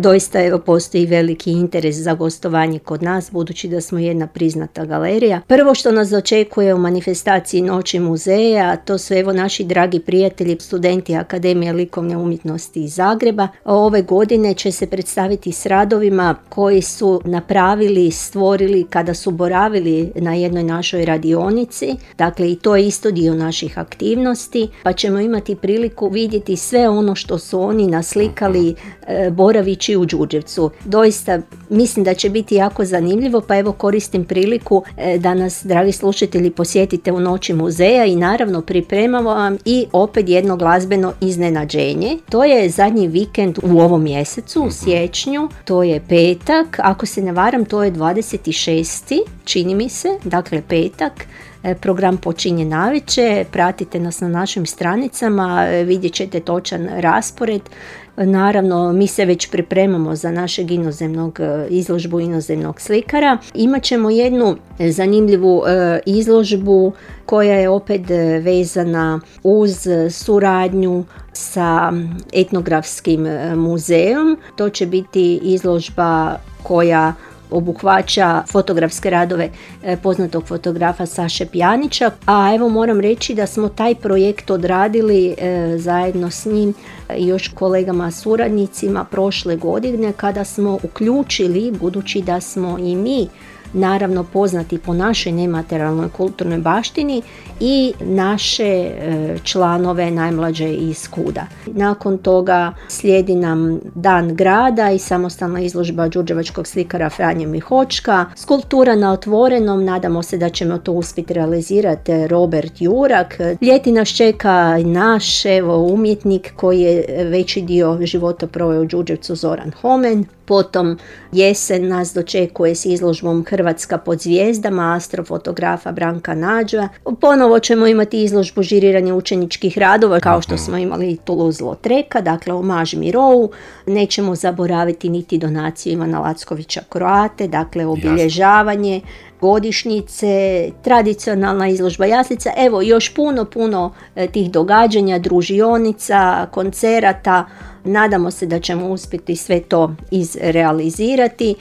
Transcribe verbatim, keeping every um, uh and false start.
Doista evo postoji veliki interes za gostovanje kod nas, budući da smo jedna priznata galerija. Prvo što nas očekuje u manifestaciji Noći muzeja, to su evo naši dragi prijatelji, studenti Akademije likovne umjetnosti iz Zagreba. Ove godine će se predstaviti s radovima koji su napravili, stvorili kada su boravili na jednoj našoj radionici. Dakle, i to je isto dio naših aktivnosti, pa ćemo imati priliku vidjeti sve ono što su oni naslikali e, boravići u Đurđevcu. Doista mislim da će biti jako zanimljivo, pa evo koristim priliku e, da nas, dragi slušatelji, posjetite u Noći muzeja i naravno pripremamo vam i opet jedno glazbeno iznenađenje. To je zadnji vikend u ovom mjesecu, u siječnju, to je petak, ako se ne varam to je dvadeset šesti čini mi se, dakle petak. Program počinje navečer, pratite nas na našim stranicama, vidjet ćete točan raspored. Naravno, mi se već pripremamo za našeg inozemnog izložbu inozemnog slikara. Imaćemo jednu zanimljivu izložbu koja je opet vezana uz suradnju sa etnografskim muzejom. To će biti izložba koja obuhvaća fotografske radove poznatog fotografa Saše Pjanića, a evo moram reći da smo taj projekt odradili e, zajedno s njim i još kolegama suradnicima prošle godine, kada smo uključili, budući da smo i mi naravno poznati po našoj nematerijalnoj kulturnoj baštini, i naše e, članove najmlađe iz KUD-a. Nakon toga slijedi nam Dan grada i samostalna izložba đurđevačkog slikara Franje Mihočka, skulptura na otvorenom, nadamo se da ćemo to uspjeti realizirati, Robert Jurak. Ljeti nas čeka naš evo, umjetnik koji je veći dio života proveo u Đurđevcu, Zoran Homen. Potom jesen nas dočekuje s izložbom Hrvatska pod zvijezdama astrofotografa Branka Nađa. Ponovo ćemo imati izložbu žiriranja učeničkih radova kao što smo imali Toulouse-Lautreka, dakle omaž Mirovu. Nećemo zaboraviti niti donaciju Ivana Lackovića Kroate, dakle obilježavanje godišnjice, tradicionalna izložba jaslica, evo još puno, puno tih događanja, družionica, koncerata. Nadamo se da ćemo uspjeti sve to izrealizirati